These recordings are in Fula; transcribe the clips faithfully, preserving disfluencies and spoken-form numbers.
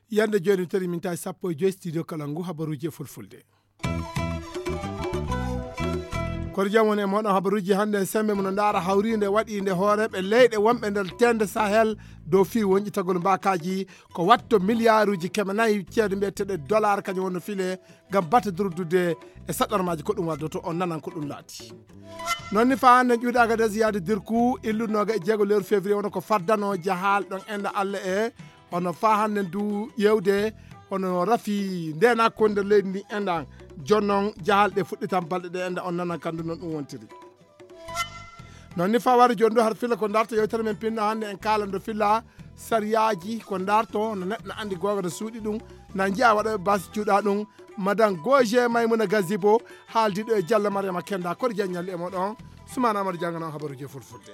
Yande jooni tari min tawi sappo e joyi studio kala ngu habaruuji e fulfulde. Kono jam woni e moɗon habaruuji hannde en sembe mono ndaara hawriinde waɗiinde hooreeɓe leyɗe wonɓe nder teende Sahel dow fii wonƴitagol mbaakaaji ko watto miliyaaruuji keme nayi ceede mbiyeteeɗe dollar kañum wonno file ngam batte durdude e saɗɗarmaaji ko ɗum waddoto on nanan ko ɗum laati. Noon ni faa hannde en ƴuwde Agadez yaade Dirku illude nooga e jeego lewru février wona ko faddano jahaal ɗon enda Allah e hono faa hannde ndu ƴeewde hono rafi ndeenaako nder leydi ndi enɗan jonnon jahal ɗe fuɗɗitan balɗe ɗe enɗan on nanan kandu noon ɗum wontiri. Noon ni faa wari jooni ɗo har filla ko ndarto yewtere men pinna hannde en kaalando filla sariyaaji ko ndarto no neɗɗo no anndi googa no suuɗi ɗum na njiya waɗa basi cuuɗa ɗum. Madan goje maymuna gazibo haaldiɗo e jalla mariama kenda koɗo jaññalli e moɗon. Sumana amadou jangano habaruji e fulfulde.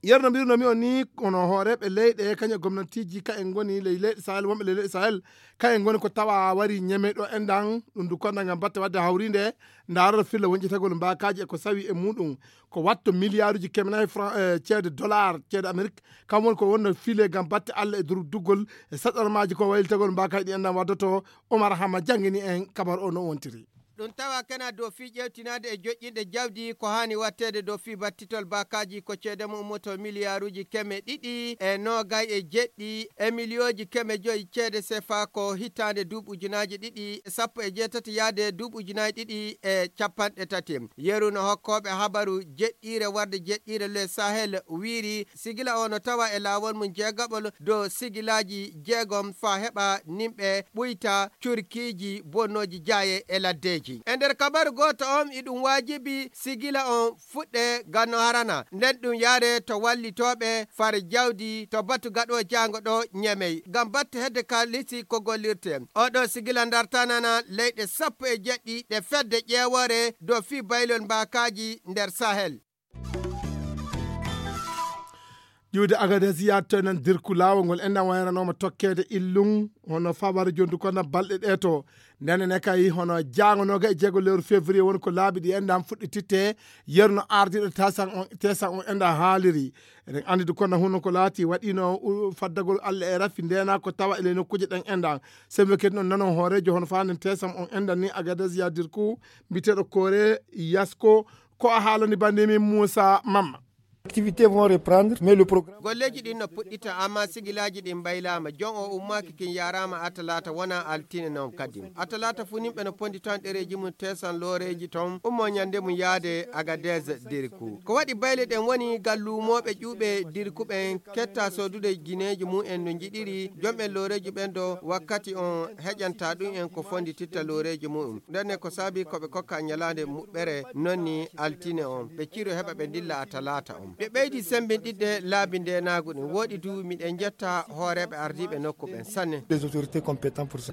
Yerno mbirnomi on ni kono hooreɓe leyɗe kañum e gomnantiji ka en goni ley leyɗe sahel wonɓe ley leyɗe sahel ka en goni ko tawa wari ñeme ɗo enɗan ɗum du konda ngam batte wadde hawrinde ndarata filla wonƴetagol mbakaji e ko sawi e muɗum ko watto milliarduji keme nayi franc e ceede dollar ceede amérique kam woni ko wonno file ngam batte allah e dur duggol e saɗɗormaji ko waylitagol mbakaji ɗi enɗan waddoto. Omar hama jangini en kabar o no wontiri. Ɗum tawa kena dow fii ƴeewtinaade e joƴƴinɗe jawdi ko haani waɗteede dow fii battitol baakaaji ko ceede mum ummoto miliyaaruuji keme ɗiɗi e noogay e jeɗɗi e miliyooji keme joyi ceede sefa ko hitaande duuɓi ujunaaji ɗiɗi e sappo e jeetati yaade duuɓi ujunaaji ɗiɗi e capanɗe tati. Yeru no hokkooɓe habaru jeɗɗiire warde jeɗɗiire le sahel wiiri sigila o no tawa e laawol mum jeegaɓol dow sigilaaji jeegom faa heɓa nimɓe ɓuyta curkiiji bonnooji jaaye e laddeeji. E nder kabaru gooto on, iɗum waajibi sigila on fuɗɗe ganno harana, nden ɗum yaare to wallitooɓe far jawdi to batu gaɗo jaango ɗo ñemey, ngam batte hedde kaalisi ko gollirte. Oɗo sigila ndartanana leyɗe sappo e jeɗɗi ɗe fedde ƴeewoore dow fii baylol mbaakaaji nder Sahel. Ƴiwde Agadez yaatta nan dirku laawol ngol enɗan wayranooma tokkeede illum hono fawar jondu kono balɗe ɗe to. Ndene ne kay hono jaango nooga e jeego lewru février woni ko laabi ɗi enɗan fuɗɗititte yerno ardiiɗo tesan on tesan on enɗan haaliri. Eɗen anndi du kono huno ko laati waɗino faddagol Allah e rafi ndena ko tawa ele nokkuuje ɗen enɗan. Sembe kadi noon nanon hooreejo hono faanen tesan on enɗan ni Agadez yaadirku mbiteɗo koore yasko. Ko a haalani bannde min Muusa Mamma. Activités vont reprendre, mais le programme. Golleeji ɗin no puɗɗita amma sigilaaji ɗin mbaylaama jon o ummaaki kin yaaraama atalata wona altine noon kadi. Atalata fu nimɓe no pondi tan ɗereeji mum tesan looreeji ton ummo ñande mum yaade Agadez diriku ko waɗi bayle ɗen woni gal luumooɓe ƴuuɓe diriku ɓen ketta soodude gineeji mum en no njiɗiri jomɓen looreeji ɓen do wakkati on heƴanta ɗum en ko fondi titta looreeji mum. Ndenne ko saabi ko ɓe kokka ñalaande muɓɓere nonni altine on ɓe ciro heɓa ɓe ndilla a talaata on ɓe ɓeydi sembinɗiɗde laabi ndenaagu ɗin woɗi du miɗen njetta hooreeɓe ardiiɓe nokku ɓen sanne. Les autorités compétents pour ça.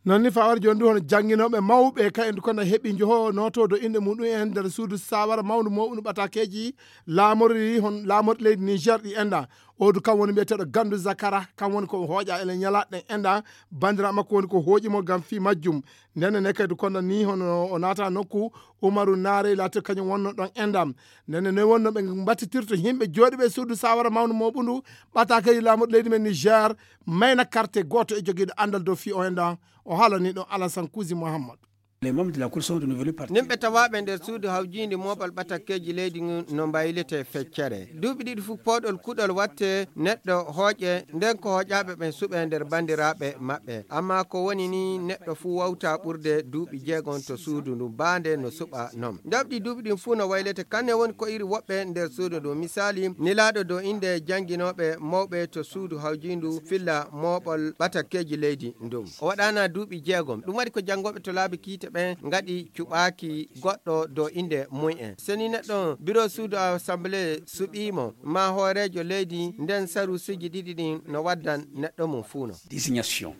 Noon ni fawar jooni du hono jannginooɓe mawɓe ka en du kono heɓi njoho notodo innde muɗum en nder suudu sawara mawndu mawɓunu ɓatakeeji laamorɗi hon laamorɗi leydi niger ɗi enɗa. Odu kam woni mbiyeteeɗo gandu zakara kam woni ko hooƴa ele ñalaɗe ɗen enɗa. Bandira makko woni ko hooƴi mo ngam fii majjum. Ndenne ne kadi kono ni hono o naata nokku umaru naare laati kañum wonno ɗon enɗam. Ndenne ne wonno ɓe mbattitirto yimɓe jooɗiɓe suudu sawara mawnu moɓundu ɓatakeeji laamuɗo leydi men niger. Mayna karte gooto e jogiiɗo anndal dow fii o enɗam. O haalani ɗon alasan kuusi mouhammad. Les membres de la cour sont renouvelés par nimɓe tawaaɓe nder suudu hawjiindi mooɓal ɓatakkeeji leydi ngun no mbaylete feccere duuɓi ɗiɗi fof pooɗol kuɗol watte neɗɗo hooƴe nden ko hooƴaaɓe ɓen suɓe nder banndiraaɓe maɓɓe. Amma ko woni ni neɗɗo fuu wawta ɓurde duuɓi jeegom to suudu ndu baande no suɓa non. Njaɓdi duuɓi ɗin fuu no waylete kanne woni ko iri woɓɓe nder suudu ndu. Misaali, nilaaɗo dow innde jannginooɓe mawɓe to suudu hawjiindu filla mooɓol ɓatakkeeji leydi ndun. O waɗaana duuɓi jeegom. Ɗum waɗi ko janngooɓe to laabi kiite ɓen ngaɗi cuɓaaki goɗɗo dow innde mum en. Seni neɗɗo biro suudu assemblée suɓii mo, maa hooreejo leydi nden saruusiiji ɗiɗi ɗin no waddan neɗɗo mum fuu non. Désignation.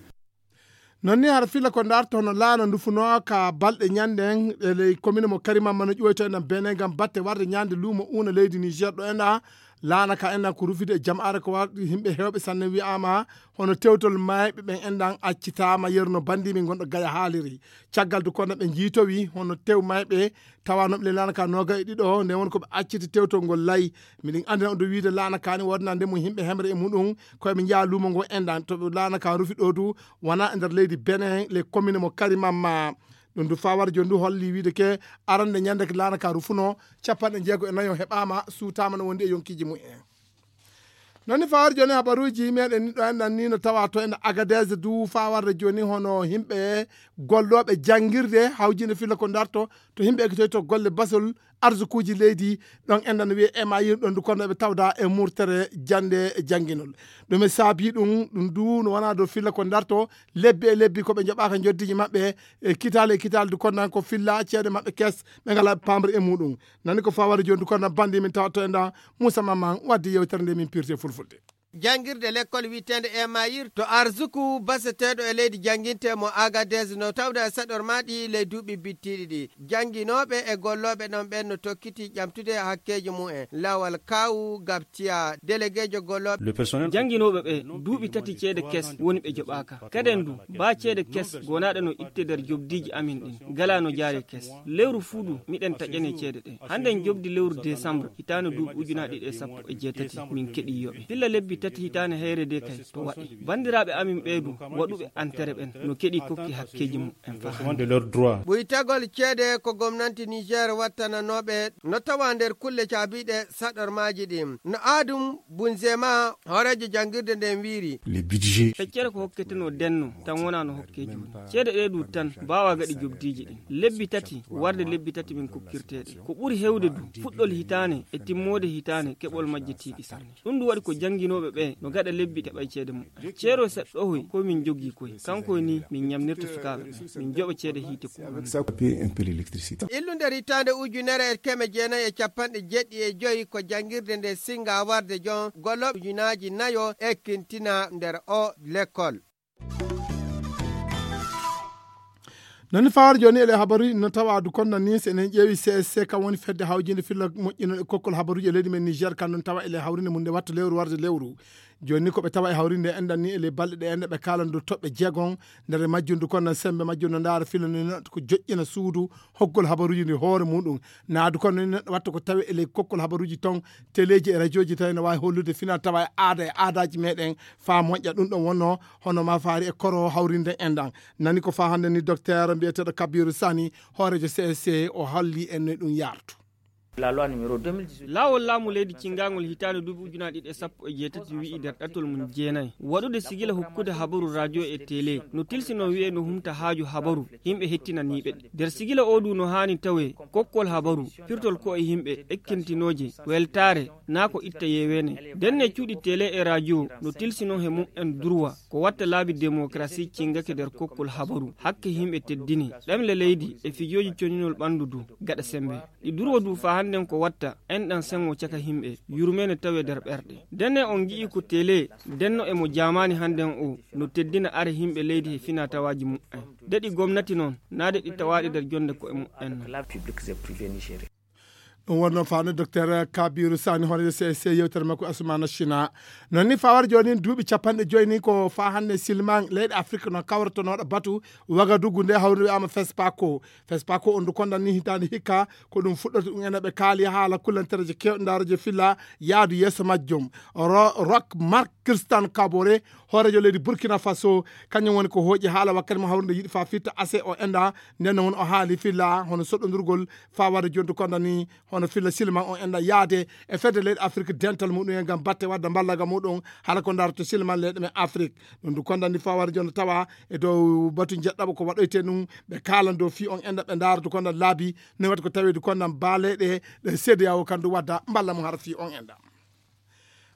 Noon ni hara filla ko ndarto hono laana ndufunoo ka balɗe ñannden e ley commune mo Karimamma no ƴuwoyto enɗan Benin ngam batte warde ñande luumo uuna leydi Niger ɗo enɗa. Laana ka enɗan ko rufude e jam'aare ko waɗi yimɓe heewɓe sanne wi'aama hono tewtol maayɓe ɓen enɗan accitaama yeru no banndi min gonɗo Gaya haaliri. Caggal du kono ɓe njiitowi hono tew maayɓe tawanooɓe le laana ka nooga e ɗiɗo nde won ko ɓe acciti tewtol ngol lay. Miɗen anndina on du wiide laana ka ni woodnande mum yimɓe hemre e muɗum ko eɓe njeya luumo ngo enɗan to ɓe laana ka rufi ɗo du wona e nder leydi Benin le commune mo Karimamma. Ɗum du fawar jooni du holli wiide ke arande ñande ke laana ka rufuno capanɗe jeego e nayo heɓaama suutaama no wondi e yonkiiji mum en. Noon ni fawar jooni habaruuji meɗen ni ɗo enɗan ni no tawa to enɗan Agadez du fawarde jooni hono yimɓe gollooɓe janngirde hawjinde filla ko darto to yimɓe ekitoy to golle basol arsukuuji leydi ɗon enɗan wiye emayir ɗon du kono eɓe tawda e murtere jannde jannginol. Ɗum e saabi ɗum ɗum du no wona dow filla ko darto lebbi e lebbi ko ɓe njoɓaka njoddiji maɓɓe e kitale e kitale du kono ko filla ceede maɓɓe kes ɓe ngala pamre e muɗum. Nani ko fawari jooni du kono bandi min tawa to enɗan Moussa Maman waddi yewtere nde min pirte fulfulde. Janngirde lekkol wiyeteende emayir to arsuku baseteeɗo e leydi jannginte mo Agadez no tawda e saɗormaaɗi ley duuɓi bittiiɗi ɗi. Jannginooɓe e gollooɓe ɗon ɓen no tokkiti ƴamtude hakkeeji mum en. Lawal Kawu Gabtiya, delegeejo gollooɓe. Jannginooɓe ɓe duuɓi tati ceede kes woni ɓe joɓaaka. Kaden du, baa ceede kes gonaaɗe no itte nder jobdiiji amin ɗin, galaa no jaari kes. Lewru fuu du, miɗen taƴane ceede ɗe. Hannden jobdi lewru desambre, hitaande duuɓi ujunaaji ɗiɗi e sappo e jeetati, min keɗii yoɓe. Filla lebbi tati hitaande heyre de kay, to waɗi. Banndiraaɓe amin ɓee du, waɗuɓe antere ɓen, no keɗii kokki hakkeeji mum en faa hannde. Ɓuytagol ceede ko gomnanti Niger wattananooɓe no tawa nder kulle caabiiɗe saɗormaaji ɗin. No Adum Bunzema, hooreejo janngirde nden wiiri. Feccere ko hokketenoo denno, tan wonaa no hokkee jooni. Ceede ɗee du tan, baawaa gaɗi jobdiiji ɗin. Lebbi tati, warde lebbi tati min kokkirtee ɗe. Ko ɓuri hewde du, fuɗɗol hitaane e timmoode hitaane keɓol majje tiiɗi sanne. Ɗum du waɗi ko jannginooɓe ɓee no gaɗa lebbi keɓay ceede mum. Ceero seɗɗohoy ko min jogii koy. Kanko ni min ñamnirta sukaaɓe ɓen. Min joɓa ceede hiite ko. Illu nder hitaande ujunere e keme jeenayi e capanɗe jeeɗiɗi e joyi ko janngirde nde singa warde jon gollooɓe ujunaaji nayo ekkintina nder o lekkol. Nani fawar jooni ele habaruji no tawa du konna ni so enen ƴeewi C S C kam woni fedde hawjinde filla moƴƴino e kokkol habaruji e leydi men Niger kan non tawa ele hawrinde mum nde watta lewru warde lewru. Jooni ni ko ɓe tawa e hawrinde enɗan ni ele balɗe ɗe enɗe ɓe kaalan du toɓɓe jeegon nder majjum du konna sembe majjum no ndaara filla ni no ko joƴƴina suudu hokkol habaruji ndi hoore muɗum. Naadu kono ni neɗɗo watta ko tawi e ley kokkol habaruji ton teleeji e rajooji tawi no waawi hollude fina tawa e aada e aadaaji meɗen faa moƴƴa ɗum ɗon wonno hono ma faari e koro hawrinde enɗan. Nani ko faa hannde ni docteur mbiyeteeɗo Kabiru Sani hooreejo C S C o halli en no ɗum yartu. Laawol laamu leydi cingaangol hitaande duuɓi ujunaaji ɗiɗi e sappo e jeetati wi'i nder ɗatol mum jeenayi waɗude sigila hokkude habaru radio e tele no tilsinoo wi'e no humta haaju habaru yimɓe hettinaniiɓe ɗe. Nder sigila oo du no haani tawee kokkol habaru, pirtol ko'e yimɓe, ekkintinooje, weltaare, naa ko itta yeeweene. Ndenne cuuɗi tele e radio no tilsinoo he mum en durwa ko watta laabi demokarasi cingake nder kokkol habaru, hakke yimɓe teddini, ɗemle leydi e fijooji coñinol ɓanndu du gaɗa sembe. Ɗi durwa du faa hannden ko watta enɗan sengo caka yimɓe, yurmeene tawee nder ɓerɗe. Ndenne on ngi'i ko tele denno e mo jaamaani hannden o no teddina are yimɓe leydi he finaa tawaaji mum en. De ɗi gomnati non, naa de ɗi tawaaɗi nder jonde ko'e mum en non. Ɗum wonno fano docteur Kabiru Sani hoore C S C yewtere makko Asumana China. Non ni fawar jooni duuɓi capanɗe joyi ni ko faa hannde silman leyɗe Afrique no kawritonoɗo batu Wagadugu nde hawri wi'ama Fespako. Fespako on du kondan ni hitaande hikka ko ɗum fuɗɗorte ɗum ene ɓe kaali haala kullantereje kewɗe ndaareje filla yaadu yeeso majjum. Ro-, Rock Mark Christian Kabore hoorejo leydi Burkina Faso kañum woni ko hooƴi haala wakkati mo hawrinde yiɗi faa fitta ase o enda nden won o haali filla hono soɗɗondirgol faa waɗa jontu kondan ni hono filla silman on enɗan yaade e fedde leyɗe Afrik dental muɗum en ngam batte wadda mballaga muɗum hala ko darto silman leyɗe men Afrik. Ɗum du kondan ni faa wara jonta tawa e dow batu jeɗɗaɓo ko waɗoyte ɗum ɓe kaalan dow fii on enɗan ɓe ndaara du kondan laabi ne waɗi ko tawi du kondan baaleyɗe ɗe C D A O kan du wadda mballa mum hara fii on enɗan.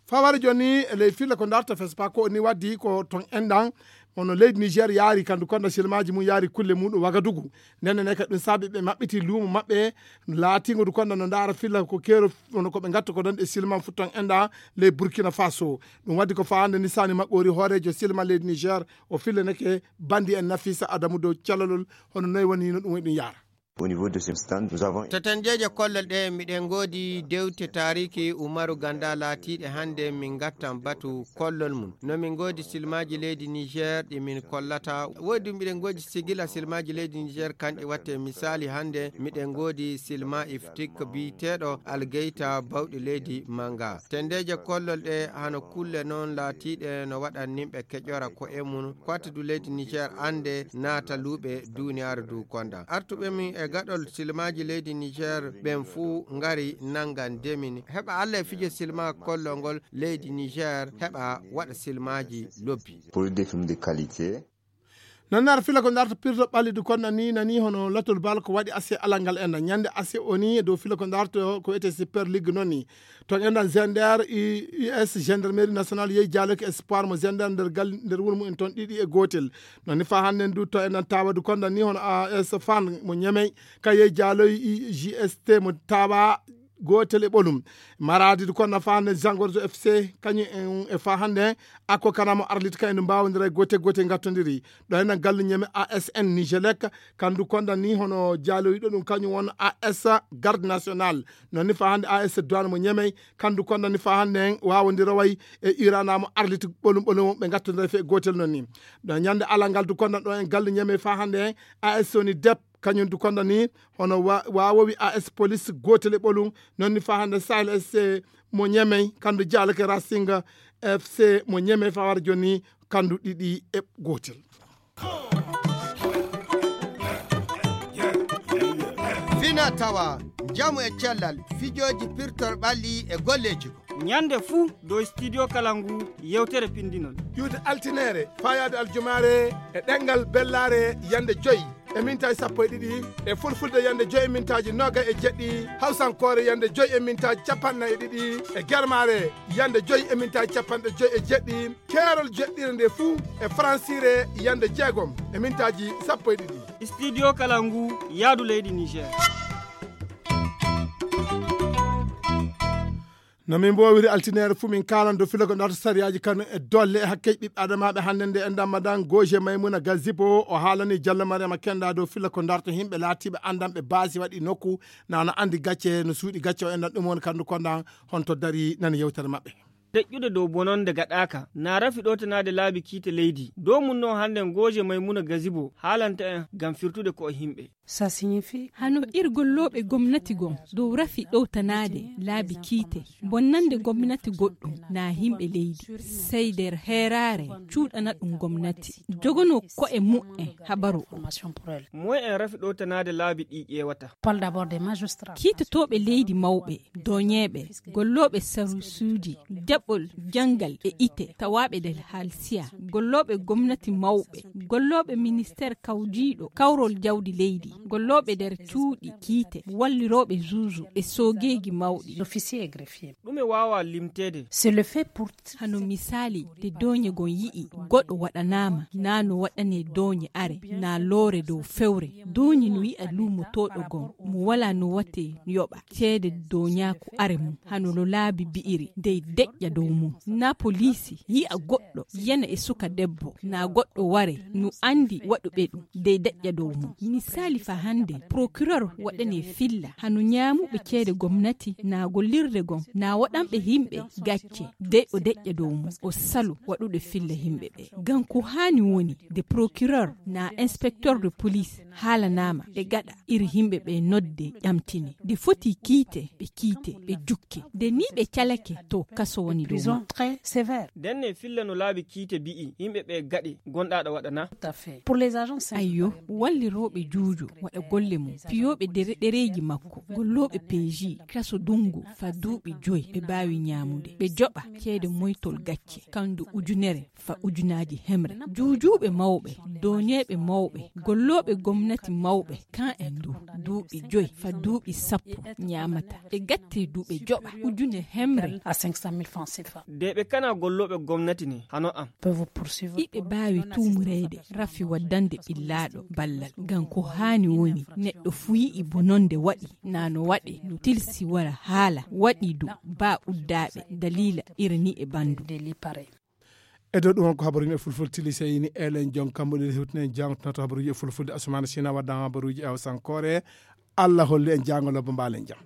Faa wara joni e ley filla ko darto Fespako ni waddi ko ton enɗan Kono leydi Niger yaari kandu konda silmaji mum yaari kulle muɗum Wagadugu. Nden ne kadi ɗum saabi ɓe maɓɓiti luumo maɓɓe laatingo du konda no ndaara filla ko keero kono ko ɓe ngatta ko ɗon e silman futtan enda ley Burkina Faso. Ɗum waddi ko faande ni sani maɓɓori hoorejo silman leydi Niger o fillaneke bandi en Nafisa Adamu dow calalol hono noy woni no ɗum woni ɗum yaara. To tendeeje kollol ɗe, miɗen ngoodi dewte taariiki Umaru Ganda laatiiɗe hannde min ngattan batu kollol mum. No min ngoodi silmaaji leydi Niger ɗi min kollata. Woodi miɗen ngoodi sigila silmaaji leydi Niger kanɗi watte misaali hannde miɗen ngoodi silma iftik biyeteeɗo Algeyta bawɗi leydi Manga. Tendeeje kollol ɗe hano kulle noon laatiiɗe no waɗan nimɓe keƴora ko e mum. Kwatdu leydi Niger annde naata luuɓe duuniyaaru du konda. Artuɓe min e gaɗol silmaaji leydi Niger ɓen fuu ngari nanngan demin. Heɓa Allah e fijo silma kollol ngol leydi Niger heɓa waɗa silmaaji lobbi. Produit de film de qualité. Noon ar fila ko darto pirto ɓalli du konda ni nani hono latol bal ko waɗi ase alal ngal enda. Ñande ase o ni dow fila ko darto ko wiyetee Super League noon ni. Toon enɗan Zender, U S Gendarmerie Nationale yehi jaaloyki Espoir mo Zender nder gal, nder wuro mum en toon ɗiɗi e gootel. Noon ni faa hannde en du toon enɗan tawa du konda ni hono A S Fan mo Ñemey, ka yehi jaaloyi G S T mo tawa gootel e ɓolum. Maradi du konda faa hannde Zangorzo F C, kañum en e faa hannde Akko Kana mo Arlit ka en mbaawondira e gootel gootel ngattondiri. Ɗo enɗan gallu Ñemey A S N Nigelec, kandu konda ni hono jaaloyiɗo ɗum kañum won A S Garde Nationale. Noon ni faa hannde A S Douane mo Ñemey, kandu konda ni faa hannde en waawondira way e Irana mo Arlit ɓolum ɓolum ɓe ngattondira fe gootel noon ni. Ɗo ñande alal ngal du konda ɗo en gallu Ñemey faa hannde en A S woni Dep, kañum du konda ni hono wa-, waawowi A S Police gootel e ɓolum, noon ni faa hannde Sahel S C mo Ñemey, kandu jaalake Racing F C mo Ñemey faa wara jooni kandu ɗiɗi e gootel. Fina tawa, njamu e cellal, fijooji pirtor ɓalli e golleeji ko. Ñande fuu dow Studio Kalangu yewtere pinndinol. Iwde altineere, faayaade aljumaare e ɗemngal bellaare yande joy e mintaaji sappo e ɗiɗi, e fulfulde yande joy e mintaaji noogay e jeɗɗi, hawsankoore yande joy e mintaaji capanɗe nayi e ɗiɗi, e germaare yande joy e mintaaji capanɗe joy e jeɗɗi, keerol jeɗɗire nde fuu e faransiire yande jeegom e mintaaji sappo e ɗiɗi. Studio Kalangu, yaadu leydi Niger. No min mboowiri altineere fuu, min kaalan dow fila ko darto sariyaaji kanu e dolle e hakkeeji ɓiɓɓe adamaaɓe. Hannde nde enɗan madan Goje Maymuna Gazibo, o haalani Jallo Mariama Kenda dow fila ko darto himɓe laatiiɓe anndanɓe baasi waɗi nokku, na no anndi gacce, no suuɗi gacce o enɗan ɗum woni kandu kondan honto dari nani yewtere maɓɓe. Deƴƴude dow bononde gaɗaaka, na rafi ɗowtanaade laabi kiite leydi. Dow mum noon hannde Goje Maymuna Gazibo haalanta en ngam firtude ko e himɓe. Ça signifie Hano ir gollooɓe gomnati gon dow rafi ɗowtanaade laabi kiite, bonnande gomnati goɗɗum na himɓe leydi, sey der heeraare cuuɗana ɗum gomnati, jogonoo ko'e mu'en habaru o. Moy en rafi ɗowtanaade laabi ɗi ƴeewata? Parle d'abord des magistrats. Kiitotooɓe leydi mawɓe, doñeeɓe, gollooɓe sarusuuji, jaɓɓol janngal e ite tawaaɓe der halsiya, gollooɓe gomnati mawɓe, gollooɓe ministeer kawjiiɗo kawrol jawdi leydi, gollooɓe der cuuɗi kiite, wallirooɓe juuju e soogeeji mawɗi. Officier et greffier. Ɗume waawa limteede? C'est le fait pour Hano misaali, de dooñe gon yi'i goɗo waɗanaama, na no waɗanee dooñe are, na loore dow fewre. Dooñe no yi'a luumotooɗo gon, mo walaa no watee yoɓa ceede dooñaaku are mum, hano no laabi bi'iri, dey deƴƴa dow mum. Na poliisi yi'a goɗɗo yana e suka debbo, na goɗɗo ware, no anndi waɗuɓe ɗum, dey deƴƴa dow mum. Misaali fa hande, procureur waɗanee filla, hano ñaamuɓe ceede gomnati, na gollirde gon, na waɗanɓe himɓe gacce, dey o deƴƴa dow mum, o salu waɗude filla himɓe ɓe. Gam ko haani woni, de procureur na inspecteur de police haalanaama e gaɗa iri himɓe ɓe nodde ƴamtine. De foti kiite, ɓe kiite, ɓe jukke. De ni ɓe calake to kaso woni dow maɓɓe. Prison très sévère. Denne filla no laabi kiite bi'i, yimɓe ɓe gaɗe gonɗaaɗo waɗana. Tout à fait. Pour les agents syndicaux. Ayyo, wallirooɓe juujo waɗa golle mum. Piyooɓe dere-, ɗereeji makko, gollooɓe P J, kaso dungu fa duuɓi joy ɓe baawi ñaamude. Ɓe joɓa ceede moytol gacce, kandu ujunere fa ujunaaji hemre. Juujuuɓe mawɓe, dooñeeɓe mawɓe, gollooɓe gomnati mawɓe, kan en du, duuɓi joy fa duuɓi sappo ñaamata. Ɓe gatte du ɓe joɓa ujune hemre. À cinq cent mille francs C F A. De ɓe kana gollooɓe gomnati ne, hano am. Peuvent vous poursuivre. Iɓe baawi tuumureede rafi waddande ɓillaaɗo ballal. Gam ko haani woni, neɗɗo fu yi'i bononde waɗi, na no waɗe, no tilsi wara haala, waɗi du, baa uddaaɓe, daliila iri ni e bandu. Des lits pareils. E dow ɗum on ko habaruuji e fulfulde tili seyni elen jon kammuɗen hewtinen jangtoto habaruuji e fulfulde. Asumana Sina waddan habaruuji e hawsankoore. Allah hollu en jango lobbo mbaalen jam.